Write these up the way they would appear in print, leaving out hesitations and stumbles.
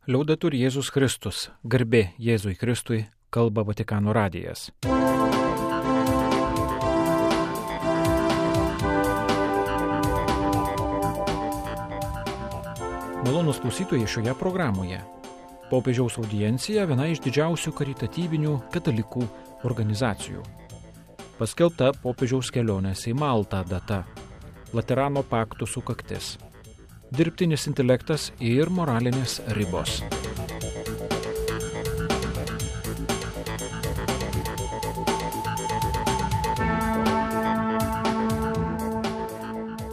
Liaudetur Jėzus Kristus, garbė Jėzui Kristui, kalba Vatikano radijas. Malonūs klausytojai šioje programoje. Popiežiaus audiencija viena iš didžiausių karitatyvinių katalikų organizacijų. Paskelbta popiežiaus kelionės į Maltą data. Laterano pakto sukaktis. Dirbtinis intelektas ir moralinės ribos.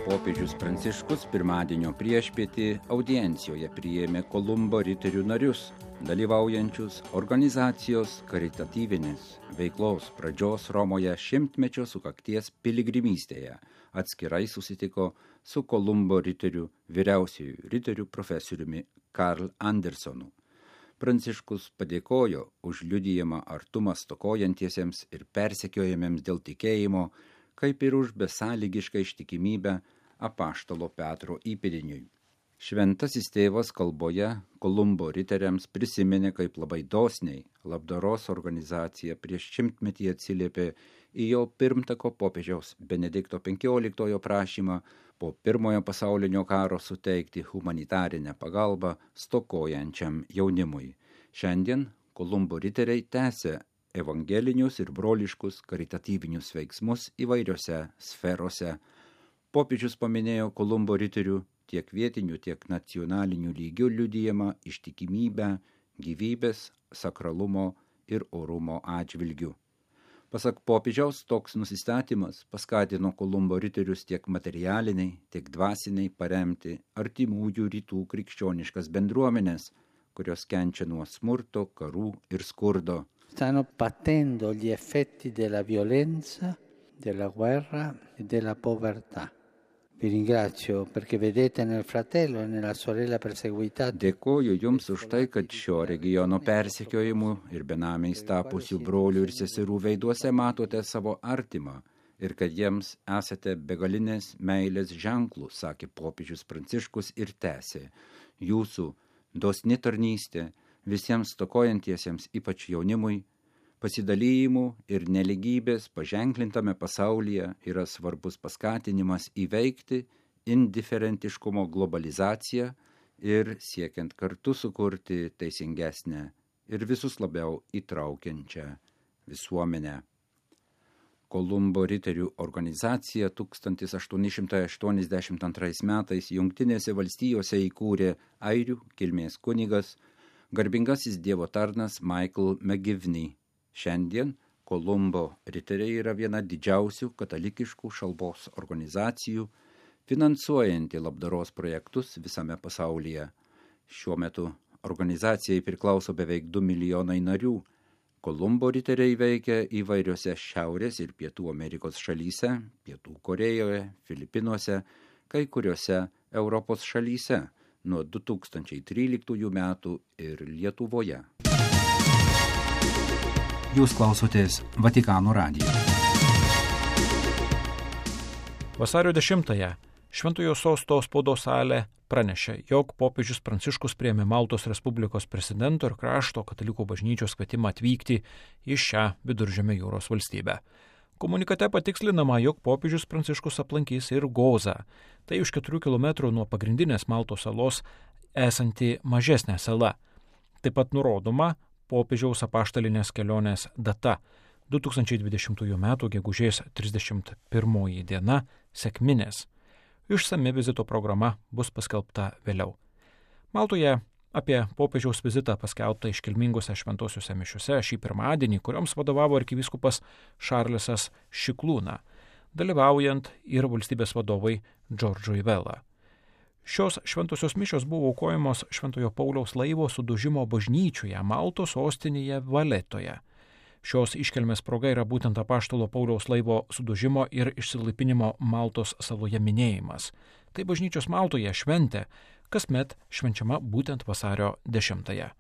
Popiežius Pranciškus pirmadienio priešpietį audiencijoje priėmė Kolumbo riterių narius, dalyvaujančius organizacijos karitatyvinės veiklos pradžios Romoje 100-mečio sukakties piligrimystėje. Atskirai susitiko su Kolumbo riterių vyriausiųjų riterių profesoriumi Karl Andersonu. Pranciškus padėkojo už liudijimą artumą stokojantiesiems ir persekiojamiems dėl tikėjimo, kaip ir už besąlygišką ištikimybę apaštalo Petro įpėdiniui. Šventasis tėvas kalboje Kolumbo riteriams prisiminė, kaip labai dosniai labdaros organizacija prieš 100-metį atsiliepė į jo pirmtako popiežiaus Benedikto XV prašymą po Pirmojo pasaulinio karo suteikti humanitarinę pagalbą stokojančiam jaunimui. Šiandien Kolumbo riteriai tęsia evangelinius ir broliškus karitatyvinius veiksmus įvairiose sferose. Popiežius paminėjo Kolumbo riterių tiek vietinių, tiek nacionalinių lygių liudijimą ištikimybę, gyvybės, sakralumo ir orumo atžvilgių. Pasak popiežiaus, toks nusistatymas paskatino Kolumbo riterius tiek materialiniai, tiek dvasiniai paremti artimųjų rytų krikščioniškas bendruomenės, kurios kenčia nuo smurto, karų ir skurdo. Stanno patendo gli effetti della violenza, della guerra e della povertà. Vi ringrazio perché vedete nel fratello e nella sorella perseguitati. Dėkoju Jums už tai, kad šio regiono persekiojimų ir benamiais tapusių brolių ir seserų veiduose matote savo artimą ir kad jiems esate begalinės meilės ženklų, sakė popiežius Pranciškus ir tęsė. Jūsų dosni tarnystė visiems stokojantiesiems, ypač jaunimui, pasidalijimų ir neligybės paženklintame pasaulyje yra svarbus paskatinimas įveikti indiferentiškumo globalizaciją ir siekiant kartu sukurti teisingesnę ir visus labiau įtraukiančią visuomenę. Kolumbo riterių organizacija 1882 metais Jungtinėse valstijose įkūrė airių kilmės kunigas, garbingasis dievo tarnas Michael McGivney. Šiandien Kolumbo riteriai yra viena didžiausių katalikiškų šalpos organizacijų, finansuojanti labdaros projektus visame pasaulyje. Šiuo metu organizacijai priklauso beveik 2 milijonai narių. Kolumbo riteriai veikia įvairiose Šiaurės ir Pietų Amerikos šalyse, Pietų Korėjoje, Filipinuose, kai kuriuose Europos šalyse nuo 2013 metų ir Lietuvoje. Jūs klausotės Vatikano radijo. Vasario 10-ąją Šventojo Sosto spaudos salė pranešė, jog popiežius Pranciškus priėmė Maltos Respublikos prezidento ir krašto katalikų bažnyčios kvietimą atvykti į šią Viduržemio jūros valstybę. Komunikate patikslinama, jog popiežius Pranciškus aplankys ir Gozą, tai už 4 km nuo pagrindinės Maltos salos esanti mažesnė sala. Taip pat nurodoma popiežiaus apaštalinės kelionės data 2020 m. gegužės 31 diena sekminės. Išsami vizito programa bus paskelbta vėliau. Maltoje apie popiežiaus vizitą paskelbta iškilmingose šventosiuose mišiuose šį pirmadienį, kurioms vadovavo arkivyskupas Šarlesas Šiklūna, dalyvaujant ir valstybės vadovai Džordžui Vela. Šios šventosios mišios buvo aukojamos Šventojo Pauliaus laivo sudužimo bažnyčioje Maltos sostinėje Valetoje. Šios iškilmės proga yra būtent apaštalo Pauliaus laivo sudužimo ir išsilaipinimo Maltos saloje minėjimas. Tai bažnyčios Maltoje šventė, kasmet švenčiama būtent vasario 10-ąją.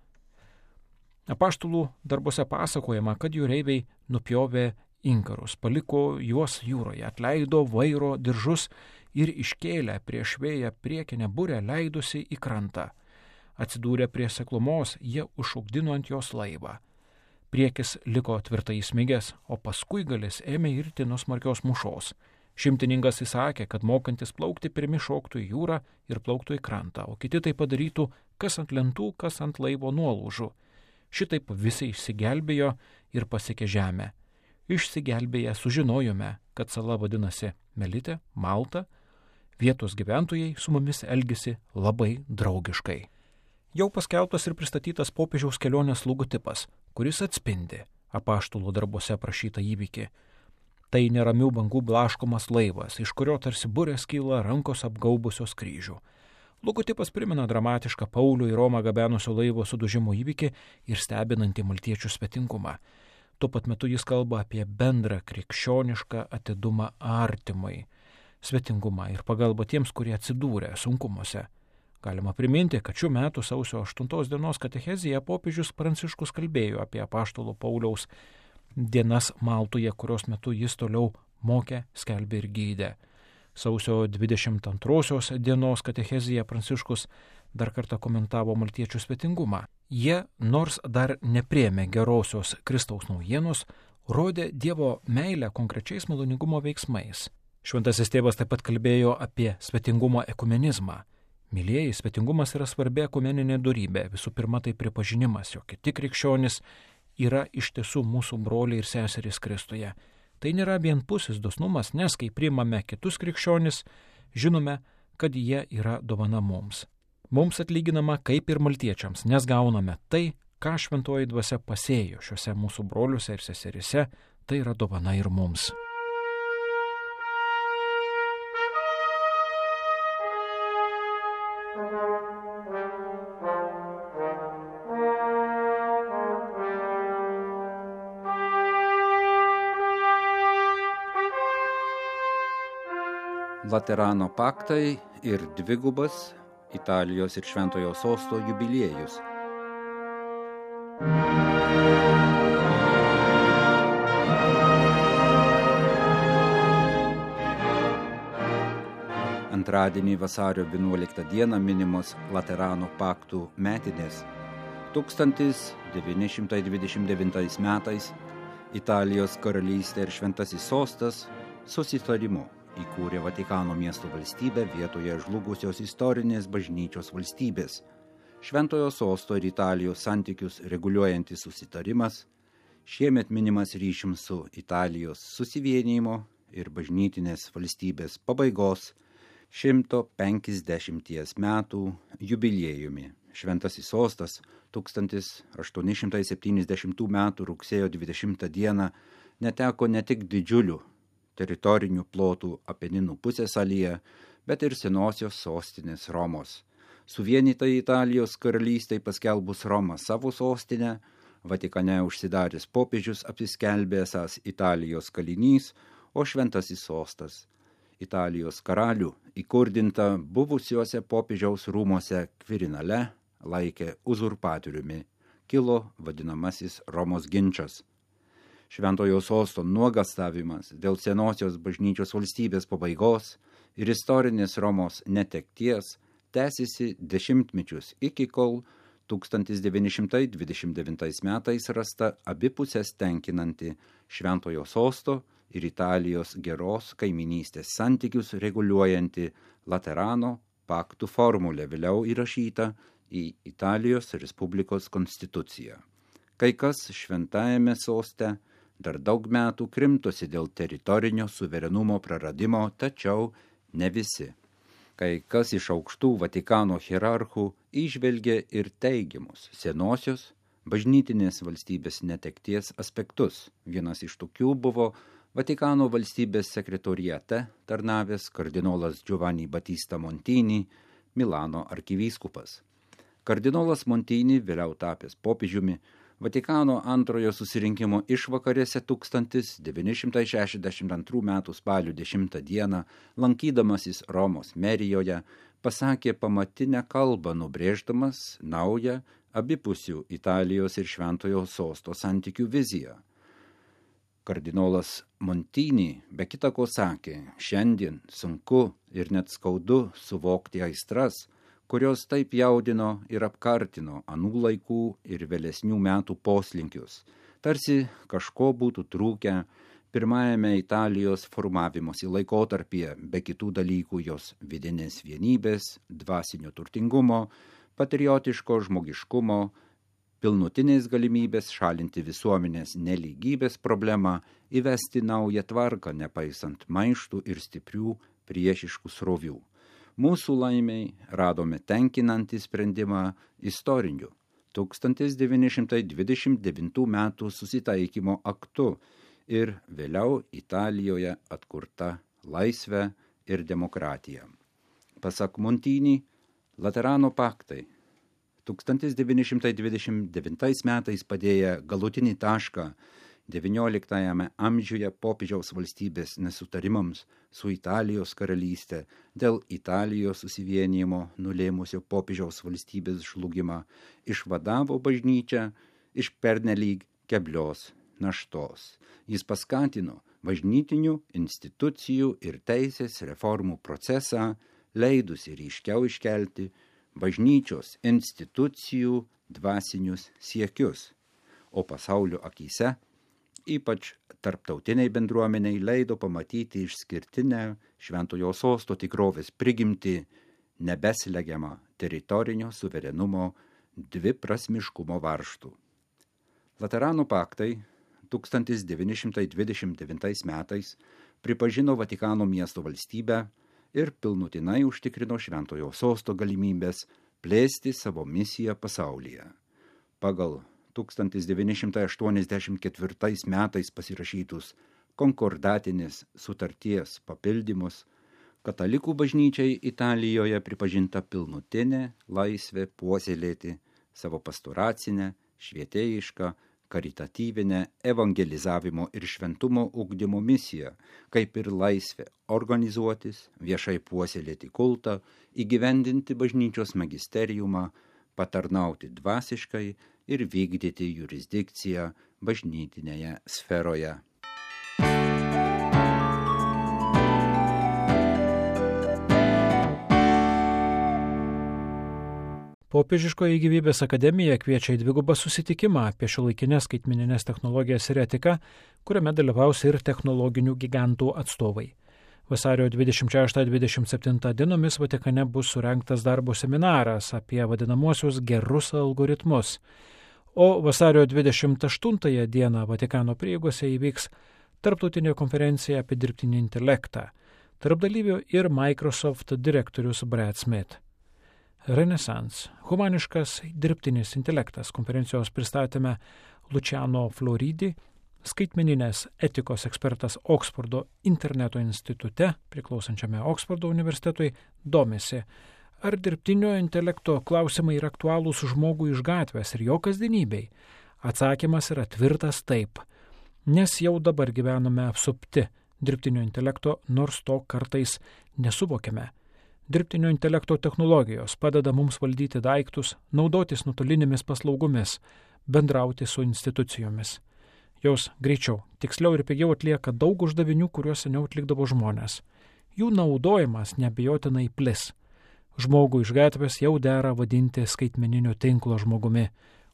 Apaštalų darbuose pasakojama, kad jūreiviai nupjovė inkarus, paliko juos jūroje, atleido vairo diržus ir iškėlę prieš vėją priekinę burę leidosi į krantą. Atsidūrę prie seklumos, jie užšokdino ant jos laivą. Priekis liko tvirtai įsmigęs, o paskui galis ėmė irti nuo smarkios mūšos. Šimtininkas įsakė, kad mokantis plaukti pirmi šoktų į jūrą ir plauktų į krantą, o kiti tai padarytų kas ant lentų, kas ant laivo nuolaužų. Šitaip visi išsigelbėjo ir pasiekė žemę. Išsigelbėję sužinojome, kad sala vadinasi Melitė, Malta. Vietos gyventojai su mumis elgėsi labai draugiškai. Jau paskelbtas ir pristatytas popiežiaus kelionės logotipas, kuris atspindi apaštalų darbuose aprašytą įvykį. Tai neramių bangų blaškomas laivas, iš kurio tarsi burės kyla rankos apgaubusios kryžių. Logotipas primena dramatišką Paulių į Romą gabenusio laivo sudužimo įvykį ir stebinantį maltiečių svetingumą. Tuo pat metu jis kalba apie bendrą krikščionišką atidumą artimai, svetingumą ir pagalbą tiems, kurie atsidūrė sunkumuose. Galima priminti, kad šių metų sausio 8 dienos katechezėje popiežius Pranciškus kalbėjo apie apaštalo Pauliaus dienas Maltoje, kurios metu jis toliau mokė, skelbė ir gydė. Sausio 22 dienos katechezėje Pranciškus dar kartą komentavo maltiečių svetingumą. Jie, nors dar nepriėmė gerosios Kristaus naujienos, rodė Dievo meilę konkrečiais maloningumo veiksmais. Šventasis tėvas taip pat kalbėjo apie svetingumo ekumenizmą. Mylėjai, svetingumas yra svarbi ekumeninė dorybė. Visų pirma, tai pripažinimas, jog kiti krikščionys yra iš tiesų mūsų broliai ir seserys Kristuje. Tai nėra vienpusis dosnumas, nes kai priimame kitus krikščionis, žinome, kad jie yra dovana mums. Mums atlyginama kaip ir maltiečiams, nes gauname tai, ką šventoji dvasia pasėjo šiuose mūsų broliuose ir seserise, tai yra dovana ir mums. Laterano paktai ir dvigubas Italijos ir Šventojo Sosto jubiliejus. Antradienį vasario 11 dieną minimos Laterano paktų metinės. 1929 metais Italijos karalystė ir Šventasis Sostas susitarimu įkūrė Vatikano miesto valstybę vietoje žlugusios istorinės bažnyčios valstybės. Šventojo Sosto ir Italijos santykius reguliuojantis susitarimas šiemet minimas ryšim su Italijos susivienijimo ir bažnytinės valstybės pabaigos 150 metų jubiliejumi. Šventasis Sostas 1870 metų rugsėjo 20 dieną neteko ne tik didžiulių teritorinių plotų Apeninų pusiasalyje, bet ir senosios sostinės Romos. Suvienytai Italijos karalystei paskelbus Romą savo sostinę, Vatikane užsidaręs popiežius apsiskelbė esąs Italijos kalinys, o Šventasis Sostas Italijos karalių įkurdinta buvusiuose popiežiaus rūmuose Kvirinale laikė uzurpatoriumi. Kilo vadinamasis Romos ginčas. Šventojo Sosto nuogastavimas dėl senosios bažnyčios valstybės pabaigos ir istorinės Romos netekties tęsiasi dešimtmečius iki kol 1929 metais rasta abipusės tenkinanti Šventojo Sosto ir Italijos geros kaiminystės santykius reguliuojanti Laterano paktų formulė, vėliau įrašyta į Italijos Respublikos konstituciją. Kai kas Šventajame Soste dar daug metų krimtosi dėl teritorinio suverenumo praradimo, tačiau ne visi. Kai kas iš aukštų Vatikano hierarchų įžvelgė ir teigiamus senosios bažnytinės valstybės netekties aspektus. Vienas iš tokių buvo Vatikano valstybės sekretoriate tarnavęs kardinolas Giovanni Battista Montini, Milano arkivyskupas. Kardinolas Montini, vėliau tapęs popiežiumi, Vatikano antrojo susirinkimo išvakarėse 1962 m. spalio 10 dieną, lankydamasis Romos merijoje, pasakė pamatinę kalbą, nubrėždamas naują abipusių Italijos ir Šventojo Sosto santykių viziją. Kardinolas Montini be kita ko sakė, šiandien sunku ir net skaudu suvokti aistras, kurios taip jaudino ir apkartino anų laikų ir vėlesnių metų poslinkius, tarsi kažko būtų trūkę pirmajame Italijos formavimosi laikotarpyje, be kitų dalykų jos vidinės vienybės, dvasinio turtingumo, patriotiško žmogiškumo, pilnutinės galimybės šalinti visuomenės nelygybės problemą, įvesti naują tvarką, nepaisant maištų ir stiprių priešiškų srovių. Mūsų laimiai radome tenkinantį sprendimą istoriniu 1929 metų susitaikymo aktu ir vėliau Italijoje atkurta laisvė ir demokratija. Pasak Montini, Laterano paktai 1929 metais padėję galutinį tašką XIX amžiuje popiežiaus valstybės nesutarimams su Italijos karalystė dėl Italijos susivienijimo nulėmusio popiežiaus valstybės žlugimą išvadavo bažnyčią iš pernelyg keblios naštos. Jis paskatino bažnytinių institucijų ir teisės reformų procesą, leidusi ryškiau iškelti bažnyčios institucijų dvasinius siekius, o pasaulio akyse, ypač tarptautiniai bendruomeniai, leido pamatyti išskirtinę Šventojo Sosto tikrovės prigimtį, nebeslegiamą teritorinio suverenumo dviprasmiškumo varžtų. Laterano paktai 1929 metais pripažino Vatikano miesto valstybę ir pilnutinai užtikrino Šventojo Sosto galimybės plėsti savo misiją pasaulyje. Pagal 1984 metais pasirašytus konkordatinės sutarties papildymus, katalikų bažnyčiai Italijoje pripažinta pilnutinė laisvė puoselėti savo pastoracinę, švietėjišką, karitatyvinę evangelizavimo ir šventumo ugdymo misiją, kaip ir laisvė organizuotis, viešai puoselėti kultą, įgyvendinti bažnyčios magisteriumą, patarnauti dvasiškai ir vykdyti jurisdikciją bažnytinėje sferoje. Popiežiškoji gyvybės akademija kviečia į dvigubą susitikimą apie šiuolaikinės skaitmeninės technologijas ir etiką, kuriame dalyvaus ir technologinių gigantų atstovai. Vasario 26-27 dienomis Vatikane bus surengtas darbo seminaras apie vadinamuosius gerus algoritmus, o vasario 28 dieną Vatikano prieigose įvyks tarptautinė konferencija apie dirbtinį intelektą, tarp dalyvių ir Microsoft direktorius Brad Smith. Renesans – humaniškas dirbtinis intelektas konferencijos pristatyme Luciano Floridi, skaitmeninės etikos ekspertas Oksfordo interneto institute, priklausančiame Oksfordo universitetui, domisi, ar dirbtinio intelekto klausimai yra aktualūs žmogui iš gatvės ir jo kasdienybei. Atsakymas yra tvirtas taip, nes jau dabar gyvename apsupti dirbtinio intelekto, nors to kartais nesuvokiame. Dirbtinio intelekto technologijos padeda mums valdyti daiktus, naudotis nuotolinėmis paslaugomis, bendrauti su institucijomis. Jos greičiau, tiksliau ir pigiau atlieka daug uždavinių, kuriuos seniau atlikdavo žmonės. Jų naudojimas neabejotinai plis. Žmogų iš gatvės jau dera vadinti skaitmeninio tinklo žmogumi,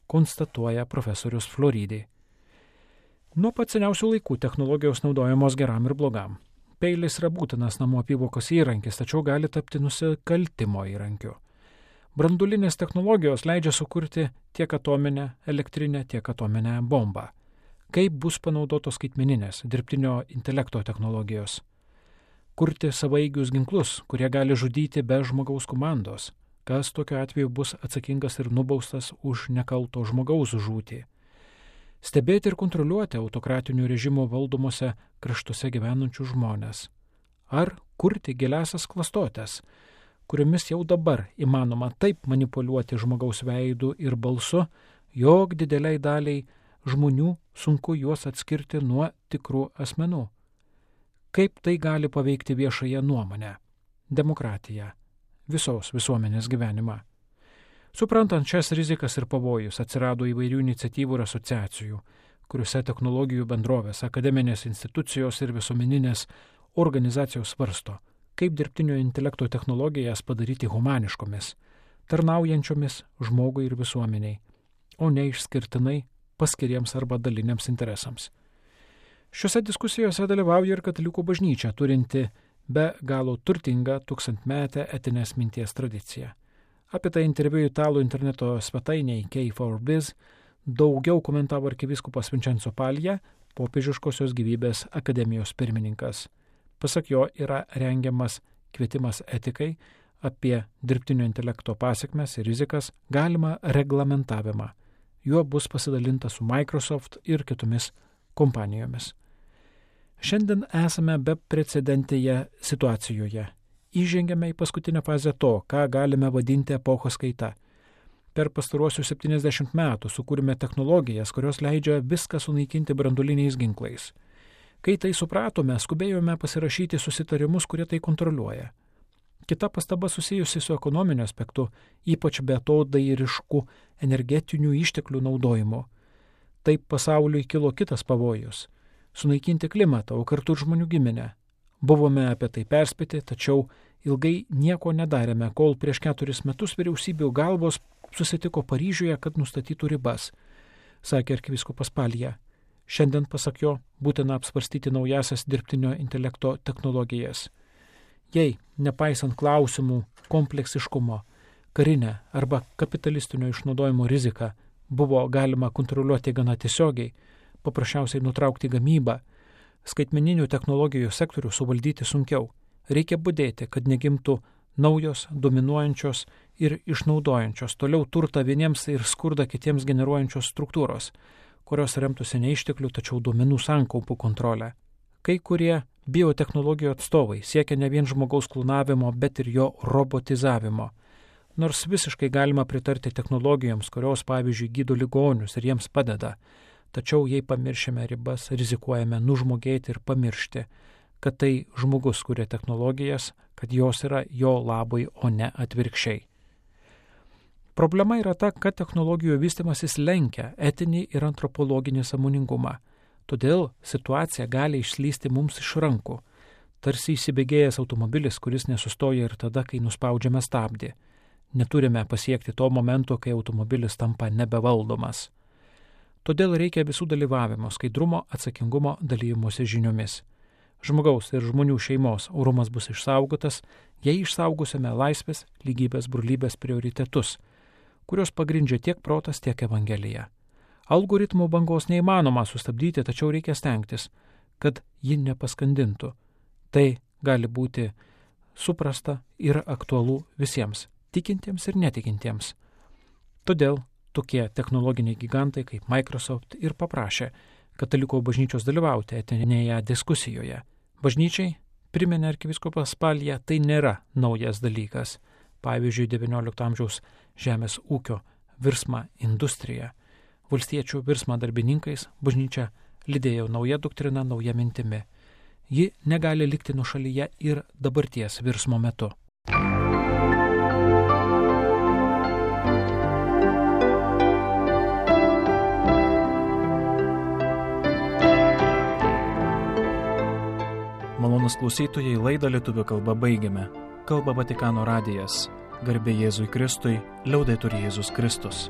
konstatuoja profesorius Floridi. Nuo pat seniausių laikų technologijos naudojamos geram ir blogam. Peilis yra būtinas namų apyvokos įrankis, tačiau gali tapti nusikaltimo įrankiu. Branduolinės technologijos leidžia sukurti tiek atominę, elektrinę, tiek atominę bombą. Kaip bus panaudotos skaitmeninės dirbtinio intelekto technologijos? Kurti savaigius ginklus, kurie gali žudyti be žmogaus komandos. Kas tokiu atveju bus atsakingas ir nubaustas už nekalto žmogaus žūtį? Stebėti ir kontroliuoti autokratinių režimų valdomose kraštuose gyvenančių žmonės. Ar kurti giliasias klastotės, kuriomis jau dabar įmanoma taip manipuliuoti žmogaus veidu ir balsu, jog dideliai daliai žmonių sunku juos atskirti nuo tikrų asmenų. Kaip tai gali paveikti viešąją nuomonę, demokratiją, visos visuomenės gyvenimą? Suprantant šias rizikas ir pavojus, atsirado įvairių iniciatyvų ir asociacijų, kuriuose technologijų bendrovės, akademinės institucijos ir visuomeninės organizacijos svarsto, kaip dirbtinio intelekto technologijas padaryti humaniškomis, tarnaujančiomis žmogui ir visuomeniai, o ne išskirtinai paskiriems arba daliniams interesams. Šiuose diskusijose dalyvauja ir katalikų bažnyčia, turinti be galo turtingą tūkstantmetę etinės minties tradiciją. Apie tai interviu italų interneto svetainėje K4Biz daugiau komentavo arkivyskupas Vincenzo Paglia, Popiežiškosios gyvybės akademijos pirmininkas. Pasak jo yra rengiamas kvietimas etikai apie dirbtinio intelekto pasekmes ir rizikas, galimą reglamentavimą. Juo bus pasidalinta su Microsoft ir kitomis kompanijomis. Šiandien esame beprecedentėje situacijoje. Įžengėme į paskutinę fazę to, ką galime vadinti epochos kaita. Per pastaruosius 70 metų sukūrėme technologijas, kurios leidžia viską sunaikinti branduoliniais ginklais. Kai tai supratome, skubėjome pasirašyti susitarimus, kurie tai kontroliuoja. Kita pastaba susijusi su ekonominiu aspektu, ypač beatodairišku energetinių išteklių naudojimu. Taip pasauliui kilo kitas pavojus – sunaikinti klimatą, o kartu ir žmonių giminę. Buvome apie tai perspėti, tačiau ilgai nieko nedarėme, kol prieš 4 metus vyriausybių galvos susitiko Paryžiuje, kad nustatytų ribas, sakė arkivyskupas Paglia. Šiandien, pasak jo, būtina apsvarstyti naujasias dirbtinio intelekto technologijas. Jei, nepaisant klausimų kompleksiškumo, karinę arba kapitalistinio išnaudojimo riziką buvo galima kontroliuoti gana tiesiogiai, paprasčiausiai nutraukti gamybą, skaitmeninių technologijų sektorių suvaldyti sunkiau. Reikia budėti, kad negimtų naujos, dominuojančios ir išnaudojančios toliau turtą vieniems ir skurdą kitiems generuojančios struktūros, kurios remtųsi ne išteklių, tačiau duomenų sankaupų kontrolę. Kai kurie biotechnologijų atstovai siekia ne vien žmogaus klonavimo, bet ir jo robotizavimo. Nors visiškai galima pritarti technologijoms, kurios, pavyzdžiui, gydo ligonius ir jiems padeda, tačiau jei pamiršime ribas, rizikuojame nužmogėti ir pamiršti, kad tai žmogus kuria technologijas, kad jos yra jo labui, o ne atvirkščiai. Problema yra ta, kad technologijų vystimasis lenkia etinį ir antropologinį sąmoningumą. Todėl situacija gali išslysti mums iš rankų, tarsi įsibėgėjęs automobilis, kuris nesustoja ir tada, kai nuspaudžiame stabdį. Neturime pasiekti to momento, kai automobilis tampa nebevaldomas. Todėl reikia visų dalyvavimo, skaidrumo, atsakingumo, dalymosi žiniomis. Žmogaus ir žmonių šeimos orumas bus išsaugotas, jei išsaugosime laisvės, lygybės, brolybės prioritetus, kurios pagrindžia tiek protas, tiek Evangelija. Algoritmų bangos neįmanoma sustabdyti, tačiau reikia stengtis, kad ji nepaskandintų. Tai gali būti suprasta ir aktualu visiems, tikintiems ir netikintiems. Todėl tokie technologiniai gigantai kaip Microsoft ir paprašė katalikų bažnyčios dalyvauti etinėje diskusijoje. Bažnyčiai, priminė arkivyskupas Paglia, tai nėra naujas dalykas. Pavyzdžiui, XIX amžiaus žemės ūkio virsmą industriją. Valstiečių virsmą darbininkais bažnyčia lydėjo nauja doktrina, nauja mintimi. Ji negali likti nuošalyje ir dabarties virsmo metu. Malonūs klausytojai, laidą lietuvių kalba baigiame. Kalba Vatikano radijas. Garbė Jėzui Kristui, liaudetur Jėzus Kristus.